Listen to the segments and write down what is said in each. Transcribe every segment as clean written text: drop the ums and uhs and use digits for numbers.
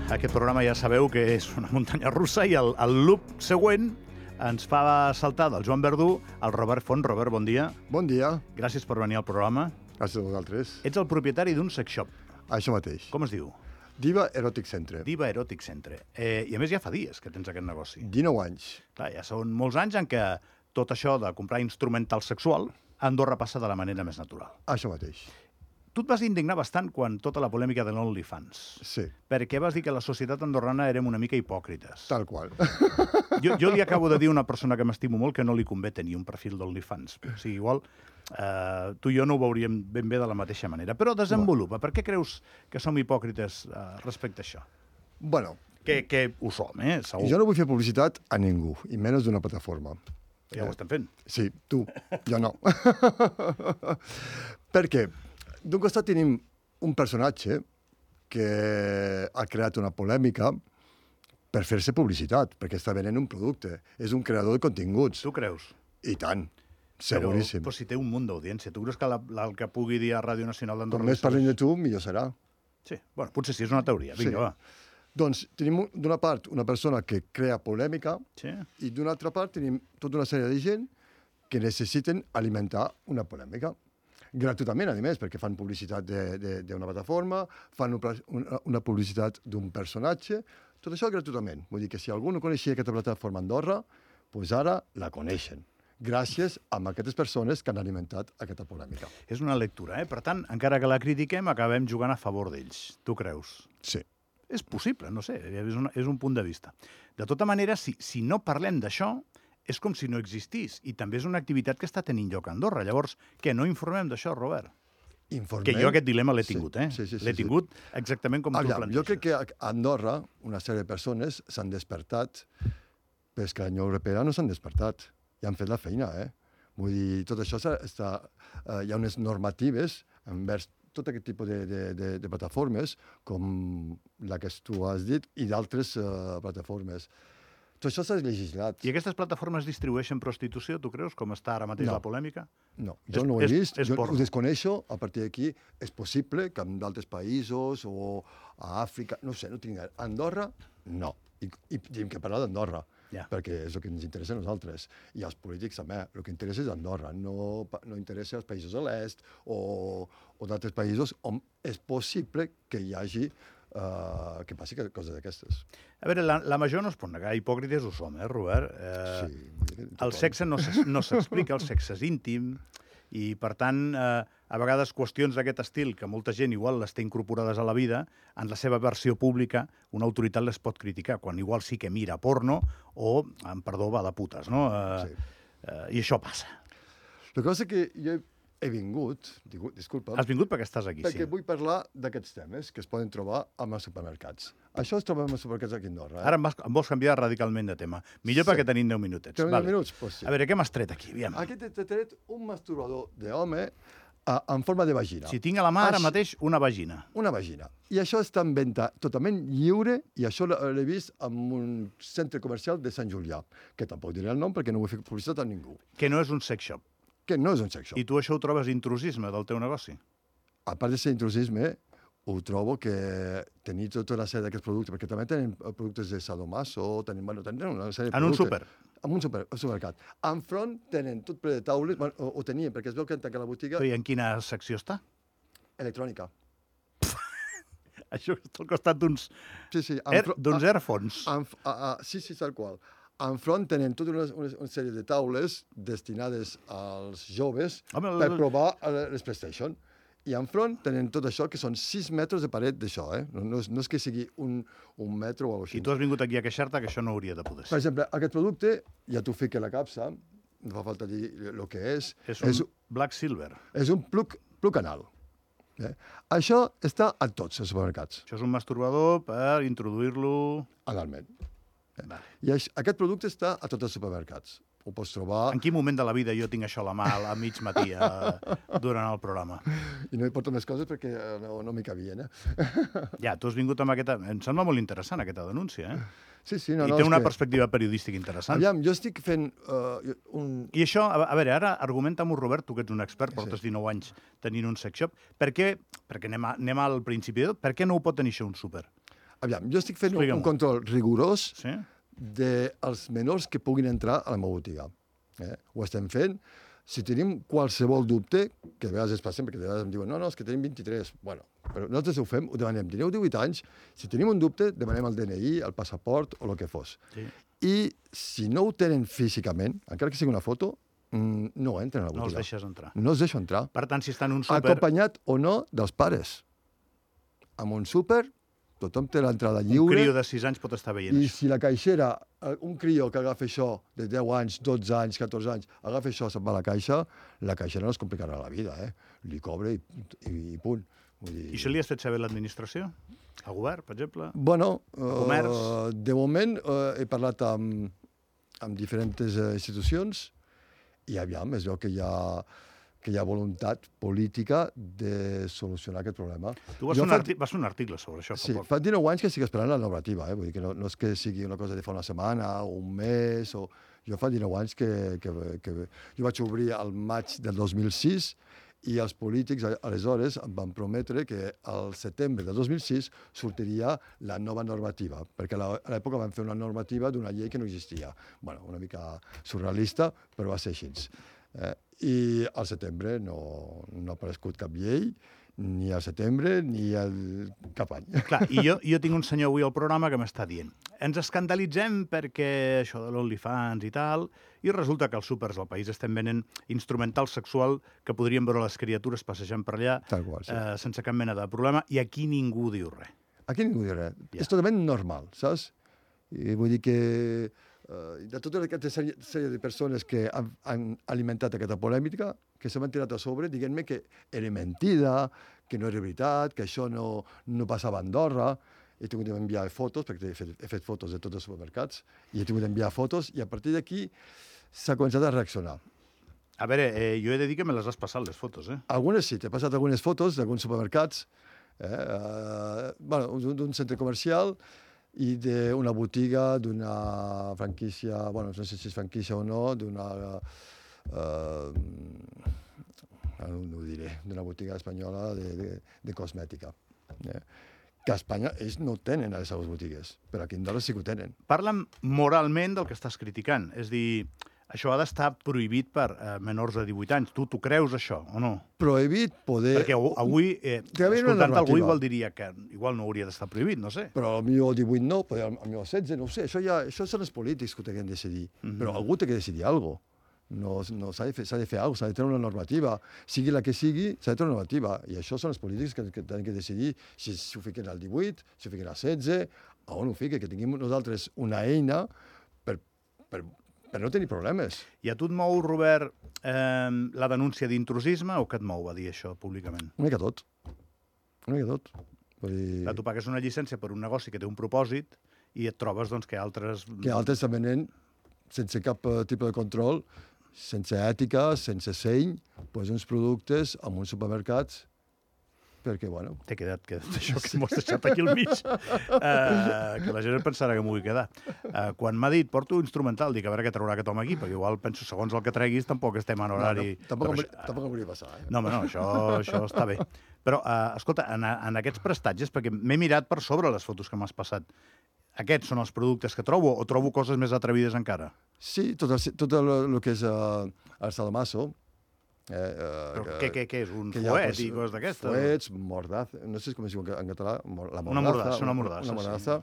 Aquest programa ja sabeu que és una muntanya russa i el loop següent ens fa saltar del Joan Verdú al Robert Font. Robert, bon dia. Bon dia. Gràcies per venir al programa. Gràcies a vosaltres. Ets el propietari d'un sex shop. Això mateix. Com es diu? Diva Erotic Centre. Diva Erotic Centre. I a més ja fa dies que tens aquest negoci. 19 anys. Clar, ja són molts anys en què tot això de comprar instrumental sexual a Andorra passa de la manera més natural. Això mateix. Tu et vas indignar bastant quan tota la polèmica de l'OnlyFans. Sí. Perquè vas dir que la societat andorrana érem una mica hipòcrites. Tal qual. Jo li acabo de dir a una persona que m'estimo molt que no li convé tenir un perfil d'OnlyFans. O sigui, igual tu i jo no ho veuríem ben bé de la mateixa manera. Però desenvolupa. Per què creus que som hipòcrites respecte a això? Bueno. Que ho som, segur. Jo no vull fer publicitat a ningú, i menys d'una plataforma. Ja ho estem fent. Sí, tu. Jo no. Per què? D'un costat tenim un personatge que ha creat una polèmica per fer-se publicitat, perquè està venent un producte. És un creador de continguts. Tu creus? I tant. Seguríssim. Però si té un munt d'audiència. Tu creus que el que pugui dir a Ràdio Nacional d'Andorra... Com més parlem de tu, millor serà. Sí, bueno, potser sí, és una teoria. Vinga, va. Doncs tenim d'una part una persona que crea polèmica i d'una altra part tenim tota una sèrie de gent que necessiten alimentar una polèmica. Gratuïtament, a més, perquè fan publicitat d'una plataforma, fan una publicitat d'un personatge, tot això gratuïtament. Vull dir que si algú no coneixia aquesta plataforma a Andorra, doncs ara la coneixen, gràcies a aquestes persones que han alimentat aquesta polèmica. És una lectura, Per tant, encara que la critiquem, acabem jugant a favor d'ells. Tu creus? Sí. És possible, no sé, és un punt de vista. De tota manera, si no parlem d'això, és com si no existís, i també és una activitat que està tenint lloc a Andorra. Llavors, què, no informem d'això, Robert? Informem. Que jo aquest dilema l'he tingut, Sí. L'he tingut exactament com tu ho planteges. Jo crec que a Andorra una sèrie de persones s'han despertat, però és que a la Unió Europea no s'han despertat. Ja han fet la feina, Vull dir, tot això hi ha unes normatives envers tot aquest tipus de plataformes, com la que tu has dit, i d'altres plataformes. Tot això s'ha legislat. I aquestes plataformes distribueixen prostitució, tu creus, com està ara mateix la polèmica? No, jo no ho he vist, jo ho desconeixo. A partir d'aquí és possible que en d'altres països o a Àfrica, no sé, no tinc... A Andorra, no. I tenim que parlar d'Andorra, perquè és el que ens interessa a nosaltres. I als polítics també, el que interessa és Andorra, no interessa als països de l'est o d'altres països on és possible que hi hagi que passi coses d'aquestes. A veure, la major no es pot negar, hipòcrites ho som, Robert? Sí. El sexe no s'explica, el sexe és íntim, i per tant, a vegades qüestions d'aquest estil, que molta gent igual les té incorporades a la vida, en la seva versió pública, una autoritat les pot criticar, quan igual sí que mira porno o, amb perdó, va de putes, no? I això passa. La cosa que jo he vingut, disculpa... Has vingut perquè estàs aquí, perquè vull parlar d'aquests temes que es poden trobar als supermercats. Això es troba als supermercats aquí a Andorra. Ara em vols canviar radicalment de tema. Millor perquè tenim 10 minutets. 10 minuts? Pues sí. A veure, què m'has tret aquí? Aviam. Aquí t'he tret un masturbador d'home en forma de vagina. Si tinc a la mà ara mateix una vagina. Una vagina. I això està en venda totalment lliure, i això l'he vist en un centre comercial de Sant Julià, que tampoc diré el nom perquè no vull fer publicitat a ningú. Que no és un sex shop. Que no és un sex shop. I tu això ho trobes intrusisme del teu negoci? A part de ser intrusisme, ho trobo que tenir tota una sèrie d'aquests productes, perquè també tenen productes de sadomaso, tenen una sèrie de productes. En un súper? En un supermercat. Enfront tenen tot ple de taules, ho tenien, perquè es veu que han tancat la botiga. I en quina secció està? Electrònica. Això està al costat d'uns Airphones. Sí, tal qual. Enfront tenen tota una sèrie de taules destinades als joves per provar les PlayStation. I enfront tenen tot això, que són 6 metres de paret d'això, No és que sigui un metro o alguna cosa així. I tu has vingut aquí a queixar-te que això no hauria de poder ser. Per exemple, aquest producte, ja t'ho fica a la capsa, no fa falta dir el que és. És un Black Silver. És un plug anal. Això està a tots els supermercats. Això és un masturbador per introduir-lo... Analment. I aquest producte està a tots els supermercats. Ho pots trobar... En quin moment de la vida jo tinc això a la mà a mig matí durant el programa? I no hi porto més coses perquè no m'hi cabien, Ja, tu has vingut amb aquesta... Em sembla molt interessant, aquesta denúncia, Sí, I té una perspectiva periodística interessant. Aviam, jo estic fent I això, a veure, ara argumenta-m'ho, Robert, tu que ets un expert, portes 19 anys tenint un sex shop. Per què, perquè anem al principi de tot, per què no ho pot tenir això un súper? Aviam, jo estic fent un control rigorós sí? dels menors que puguin entrar a la meva botiga. Ho estem fent. Si tenim qualsevol dubte, que a vegades es passen, perquè a vegades em diuen no, és que tenim 23. Bueno, però nosaltres ho fem, ho demanem. Teniu 18 anys, si tenim un dubte, demanem el DNI, el passaport o el que fos. Sí. I si no ho tenen físicament, encara que sigui una foto, no entren a la botiga. No els deixes entrar. No els deixo entrar. Per tant, si estan en un súper... Acompanyat o no dels pares. En un súper, tothom té l'entrada lliure. Un crió de 6 anys pot estar veient I això. si la caixera, un crió que agafa això de 10 anys, 12 anys, 14 anys, agafa això, se'n va a la caixera no es complicarà la vida, Li cobra i punt. Vull dir... I això li has fet saber a l'administració? Al govern, per exemple? Bueno, comerç? De moment he parlat amb diferents institucions i aviam, es veu que hi ha voluntat política de solucionar aquest problema. Tu vas fer un article sobre això fa poc. Sí, fa 19 anys que estic esperant la normativa, vull dir que no és que sigui una cosa de fa una setmana o un mes, jo fa 19 anys que jo vaig obrir al maig del 2006 i els polítics aleshores em van prometre que al setembre del 2006 sortiria la nova normativa, perquè a l'època van fer una normativa d'una llei que no existia. Bueno, una mica surrealista, però va ser així. I al setembre no ha aparegut cap llei, ni al setembre ni cap any. Clar, i jo tinc un senyor avui al programa que m'està dient ens escandalitzem perquè això de l'OnlyFans i tal, i resulta que als súpers del país estem venent instrumental sexual que podrien veure les criatures passejant per allà sense cap mena de problema, i aquí ningú diu res. Aquí ningú diu res. És totalment normal, saps? I vull dir que de tota aquesta sèrie de persones que han alimentat aquesta polèmica, que se m'han tirat a sobre, diguent-me que era mentida, que no era veritat, que això no passava a Andorra. He tingut d'enviar fotos, perquè he fet fotos de tots els supermercats, i he tingut d'enviar fotos, i a partir d'aquí s'ha començat a reaccionar. A veure, jo he de dir que me les has passat, les fotos, Algunes sí, t'he passat algunes fotos d'alguns supermercats, d'un centre comercial, i d'una botiga, d'una franquícia, bueno, no sé si és franquícia o no, d'una botiga espanyola de cosmètica. Que a Espanya ells no tenen a les seves botigues, però aquí a Andorra sí que ho tenen. Parla'm moralment del que estàs criticant, és dir, això ha d'estar prohibit per menors de 18 anys. Tu t'ho creus, això, o no? Prohibit poder... Perquè avui, escoltant algú, igual diria que igual no hauria d'estar prohibit, no sé. Però potser el 18 no, potser el 16, no ho sé. Això són els polítics que ho tenen de decidir. Però algú té que decidir alguna cosa. No, s'ha de fer alguna cosa, s'ha de tenir una normativa. Sigui la que sigui, s'ha de tenir una normativa. I això són els polítics que tenen que decidir si ho fiquen al 18, si ho fiquen al 16, on ho fiquen, que tinguem nosaltres una eina per no tenir problemes. I a tu et mou, Robert, la denúncia d'intrusisme o què et mou a dir això públicament? Una mica tot. Una mica tot. Tu pagues una llicència per un negoci que té un propòsit i et trobes que altres... Que altres també venen sense cap tipus de control, sense ètica, sense seny, uns productes en uns supermercats perquè, bueno... T'he quedat això que m'ho has deixat aquí al mig. Que la gent pensarà que m'ho vull quedar. Quan m'ha dit, porto instrumental, dic, a veure què traurà aquest home aquí, perquè igual penso, segons el que treguis, tampoc estem en horari... Tampoc em volia passar, No, home, no, això està bé. Però, escolta, en aquests prestatges, perquè m'he mirat per sobre les fotos que m'has passat, aquests són els productes que trobo o trobo coses més atrevides encara? Sí, tot el que és el salamasso. Però què és? Un fuet i coses d'aquestes? Fuets, mordassa, no sé com es diu en català, la mordassa. Una mordassa.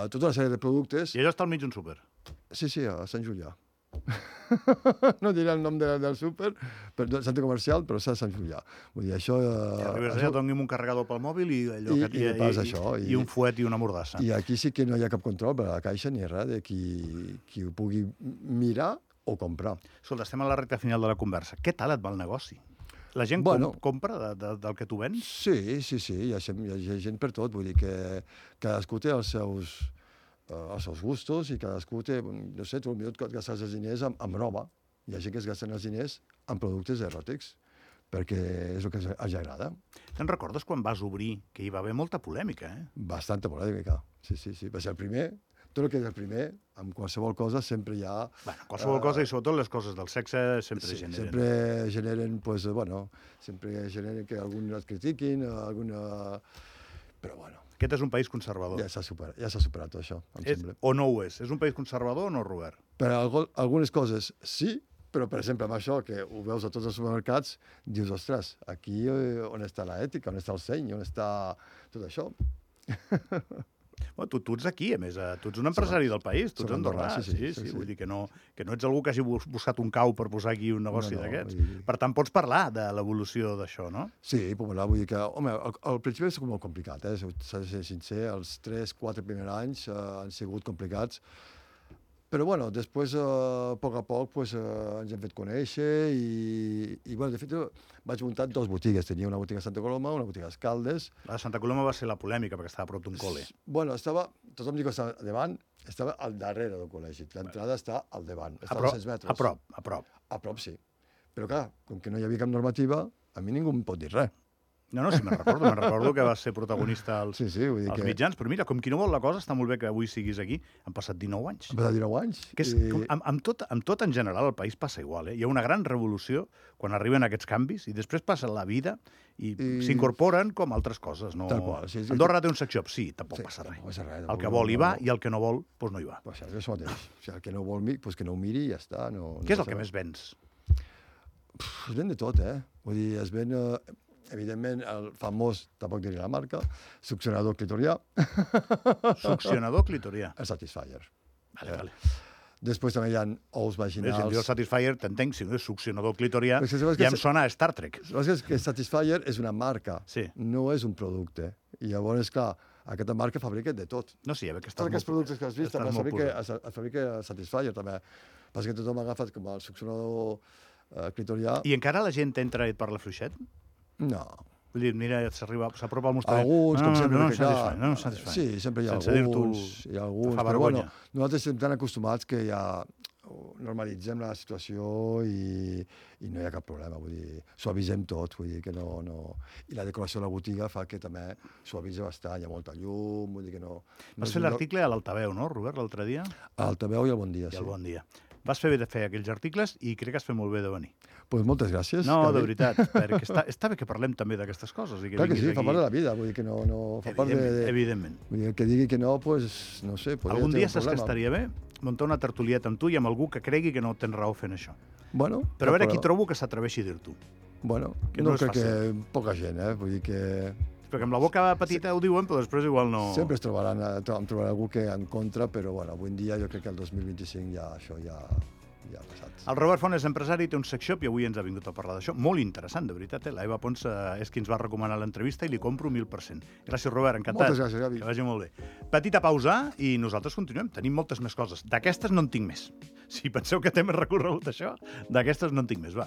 Tota una sèrie de productes. I allò està al mig d'un súper? Sí, a Sant Julià. No diré el nom del súper, del centre comercial, però és a Sant Julià. Vull dir, això... Arribes allà, doni'm un carregador pel mòbil i un fuet i una mordassa. I aquí sí que no hi ha cap control per a la caixa ni res de qui ho pugui mirar o comprar. Escolta, estem a la recta final de la conversa. Què tal et va el negoci? La gent compra del que tu vens? Sí, hi ha gent per tot. Vull dir que cadascú té els seus gustos i cadascú té, no sé, tu potser et gastes els diners amb roba. Hi ha gent que es gasten els diners en productes eròtics, perquè és el que els agrada. Te'n recordes quan vas obrir que hi va haver molta polèmica, Bastanta polèmica, sí. Va ser el primer. Tot el que és el primer, amb qualsevol cosa sempre hi ha... Qualsevol cosa i sobretot les coses del sexe sempre generen. Sempre generen, sempre generen que alguns et critiquin, però bueno... Aquest és un país conservador. Ja s'ha superat això, em sembla. O no ho és? És un país conservador o no, Robert? Per algunes coses sí, però, per exemple, amb això, que ho veus a tots els supermercats, dius, ostres, aquí on està l'ètica, on està el seny, on està tot això? Bueno, tu ets aquí, a més, tu ets un empresari del país, tu ets andorrà, sí. Vull dir que no ets algú que hagi buscat un cau per posar aquí un negoci d'aquests. Per tant, pots parlar de l'evolució d'això, no? Sí, vull dir que, home, al principi és molt complicat, s'ha de ser sincer, els 3-4 primers anys han sigut complicats, però, bueno, després, a poc, ens hem fet conèixer i bueno, de fet, vaig muntar 2 botigues. Tenia una botiga a Santa Coloma, una botiga a Escaldes. La de Santa Coloma va ser la polèmica, perquè estava a prop d'un col·le. Bueno, tothom diu que estava davant, estava al darrere del col·legi. L'entrada està al davant, està a 200 metres. A prop. A prop, sí. Però, clar, com que no hi havia cap normativa, a mi ningú em pot dir res. No, sí, me'n recordo que vas ser protagonista als mitjans, però mira, com qui no vol la cosa, està molt bé que avui siguis aquí. Han passat 19 anys. Han passat 19 anys. Amb tot en general el país passa igual. Hi ha una gran revolució quan arriben aquests canvis i després passa la vida i s'incorporen com altres coses. Tal qual. Andorra té un sex shop, sí, tampoc passa res. El que vol hi va i el que no vol, doncs no hi va. És això mateix. El que no vol, que no ho miri i ja està. Què és el que més vens? Es ven de tot, Vull dir, es ven... Evidentment, el famós, tampoc diré la marca, succionador clitorià. Succionador clitorià. El Satisfyer. Vale. Després també hi ha ous vaginals. Si em diu el Satisfyer, t'entenc, si no és succionador clitorià, ja em sona a Star Trek. És que Satisfyer és una marca, no és un producte. I llavors, clar, aquesta marca fabrica de tot. No, sí, que tots aquests productes que has vist també es fabrica Satisfyer, també. Passa que tothom ha agafat com el succionador clitorià. I encara la gent entra per la fluixet? No. Vull dir, mira, s'apropa al mostrador. Alguns, com sempre. No em satisfà. Sí, sempre hi ha alguns. Però bueno, nosaltres estem tan acostumats que ja normalitzem la situació i no hi ha cap problema. Vull dir, suavitzem tot. Vull dir que no... I la decoració de la botiga fa que també suavitza bastant. Hi ha molta llum, vull dir que no... Vas fer l'article a l'Altaveu, no, Robert, l'altre dia? A l'Altaveu i al Bon Dia, sí. I al Bon Dia. Vas fer bé de fer aquells articles i crec que has fet molt bé de venir. Doncs moltes gràcies. No, de veritat, perquè està bé que parlem també d'aquestes coses. Clar que sí, fa part de la vida, vull dir que no fa part de... Evidentment. Vull dir que digui que no, doncs, no sé... Algun dia saps que estaria bé muntar una tertulieta amb tu i amb algú que cregui que no tens raó fent això. Bueno... Però a veure qui trobo que s'atreveixi a dir-t'ho. Bueno, no crec que poca gent, vull dir que... Perquè amb la boca petita ho diuen, però després igual no... Sempre em trobarà algú que en contra, però bueno, avui en dia jo crec que el 2025 ja això ja ha passat. El Robert Font és empresari, té un sex shop i avui ens ha vingut a parlar d'això. Molt interessant, de veritat. La Eva Pons és qui ens va recomanar l'entrevista i li compro 1000%. Gràcies, Robert, encantat. Moltes gràcies, Gavi. Que vagi molt bé. Petita pausa i nosaltres continuem. Tenim moltes més coses. D'aquestes no en tinc més. Si penseu que t'hem recorregut això, d'aquestes no en tinc més. Va.